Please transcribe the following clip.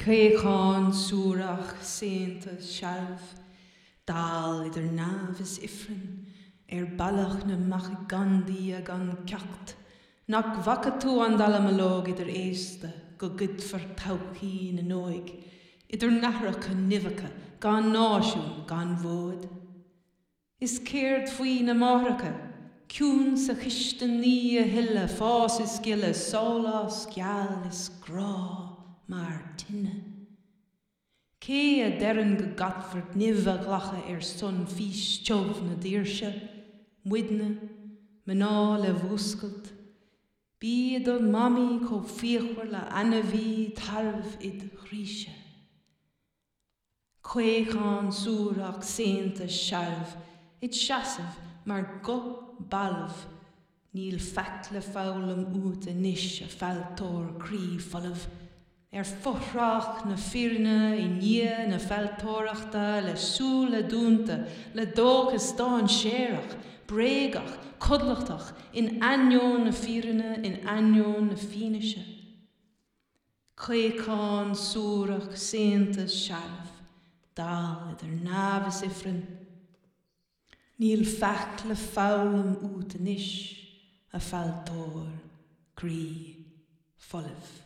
Caochán suarach saonta searbh, dall idir neamh is ifreann, ar bealach na mbeachaí gan Dia gan ceacht, nach bhfaca tú an dallamullóg idir aosta go gcuidfear todhchaí na n-óig, idir nathracha nimheacha gan náisiún gan mhóid? Is céard faoi na máithreacha, ciúin sa chistin ní a thuilleadh fás is gile, sólás geal is grá mar tine? Cé a deireann go gcaithfear nimh a ghlacadh ar son fís tiubh na daoirse? Muidne, mná le mhúscailt. Bí i do mhamaí chomh fíochmhar le ainmhí tarbh id chroíse. Caochán suarach saonta searbh id seasamh mar ghuth balbh níl faic le foghlaim uait anois a fealltóir croí folamh ar fothrach na fírinne i ndiaidh na fealltóireachta le súile dúnta le dóchas dainséarach bréagach codlatach in ainneoin na fírinne in ainneoin na fianaise. Caochán suarach saonta searbh, dall idir neamh is ifreann. Níl faic le foghlaim uait anois, a fealltóir croí folamh.